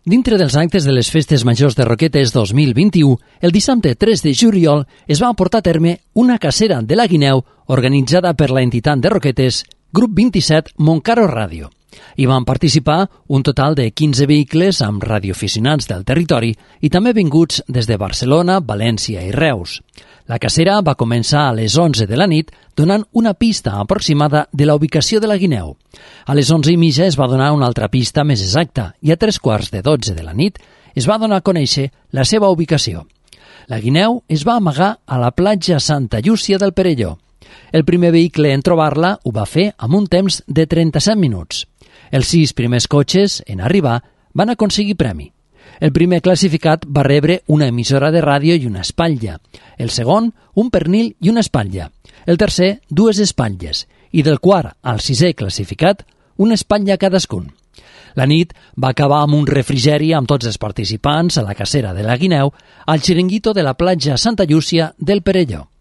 Dintre dels actes de les Festes Majors de Roquetes 2021, el dissabte 3 de juliol es va portar a terme una cacera de la guineu organitzada per la entitat de Roquetes, Grup 27 Montcaro Ràdio. Hi van participar un total de 15 vehicles amb radioaficionats del territori i també vinguts des de Barcelona, València i Reus. La cacera va començar a les 11 de la nit donant una pista aproximada de la ubicació de la guineu. A les 11:30 es va donar una altra pista més exacta i a 3:15 de la nit es va donar a conèixer la seva ubicació. La guineu es va amagar a la platja Santa Llúcia del Perelló. El primer vehicle en trobar-la ho va fer amb un temps de 37 minuts. Els 6 primers cotxes en arribar van aconseguir premi. El primer classificat va rebre una emissora de ràdio i una espatlla. El segon, un pernil i una espatlla. El tercer, 2 espatlles. I del quart al 6è classificat, una espatlla cadascun. La nit va acabar amb un refrigeri amb tots els participants a la cacera de la guineu al xiringuito de la platja Santa Llúcia del Perelló.